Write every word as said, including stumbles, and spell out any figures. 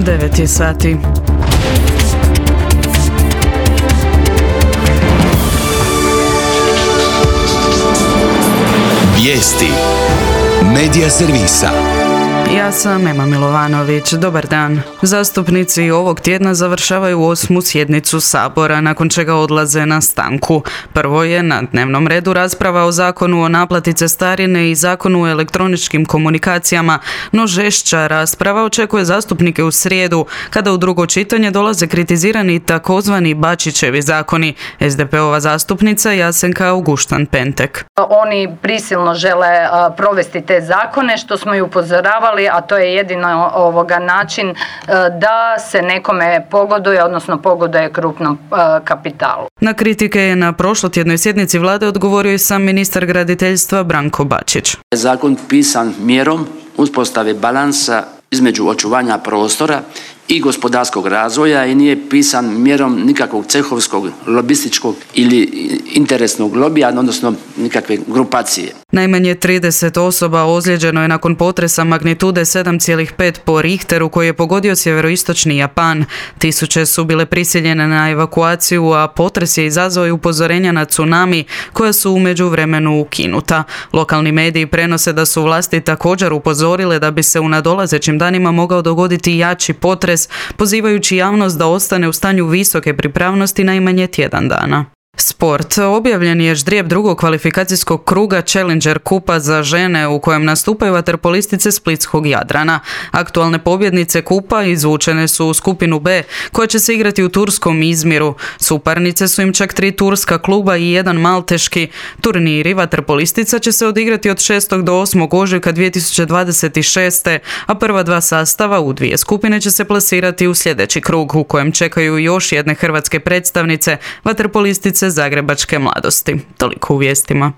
devet je sati. Vijesti Medija servisa. Ja sam Ema Milovanović. Dobar dan. Zastupnici ovog tjedna završavaju osmu sjednicu Sabora, nakon čega odlaze na stanku. Prvo je na dnevnom redu rasprava o zakonu o naplati cestarine i zakonu o elektroničkim komunikacijama, no žešća rasprava očekuje zastupnike u srijedu, kada u drugo čitanje dolaze kritizirani takozvani Bačićevi zakoni. es de pe ova zastupnica Jasenka Auguštan-Pentek. Oni prisilno žele provesti te zakone, što smo i upozoravali, a to je jedino ovoga način da se nekome pogoduje, odnosno pogoduje krupnom kapitalu. Na kritike je na prošlotjednoj sjednici vlade odgovorio i sam ministar graditeljstva Branko Bačić. Zakon pisan mjerom uspostave balansa između očuvanja prostora i gospodarskog razvoja i nije pisan mjerom nikakvog cehovskog, lobističkog ili interesnog lobija, odnosno nikakve grupacije. Najmanje trideset osoba ozlijeđeno je nakon potresa magnitude sedam zarez pet po Richteru koji je pogodio sjeveroistočni Japan. Tisuće su bile prisiljene na evakuaciju, a potres je izazvao i upozorenja na tsunami koja su u međuvremenu ukinuta. Lokalni mediji prenose da su vlasti također upozorile da bi se u nadolazećim danima mogao dogoditi jači potres, pozivajući javnost da ostane u stanju visoke pripravnosti najmanje tjedan dana. Sport. Objavljen je ždrijeb drugog kvalifikacijskog kruga Challenger kupa za žene u kojem nastupaju vaterpolistice splitskog Jadrana. Aktualne pobjednice kupa izvučene su u skupinu B koja će se igrati u turskom Izmiru. Suparnice su im čak tri turska kluba i jedan malteški. Turniri vaterpolistica će se odigrati od šestog do osmog ožujka dvije tisuće dvadeset šeste. a prva dva sastava u dvije skupine će se plasirati u sljedeći krug u kojem čekaju još jedne hrvatske predstavnice, vaterpolistice Zagrebačke mladosti. Toliko u vijestima.